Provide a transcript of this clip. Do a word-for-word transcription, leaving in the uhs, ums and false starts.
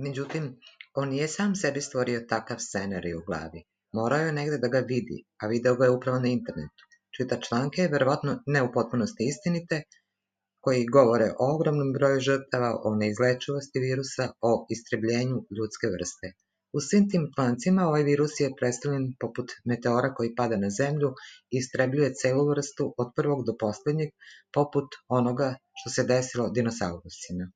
Međutim, on nije sam sebi stvorio takav scenarij u glavi. Morao je negde da ga vidi, a video ga je upravo na internetu. Čita članke, verovatno ne u potpunosti istinite, koji govore o ogromnom broju žrtava, o neizlečivosti virusa, o istrebljenju ljudske vrste. U svim tim člancima ovaj virus je predstavljen poput meteora koji pada na zemlju i istrebljuje celu vrstu od prvog do poslednjeg, poput onoga što se desilo dinosaurusima.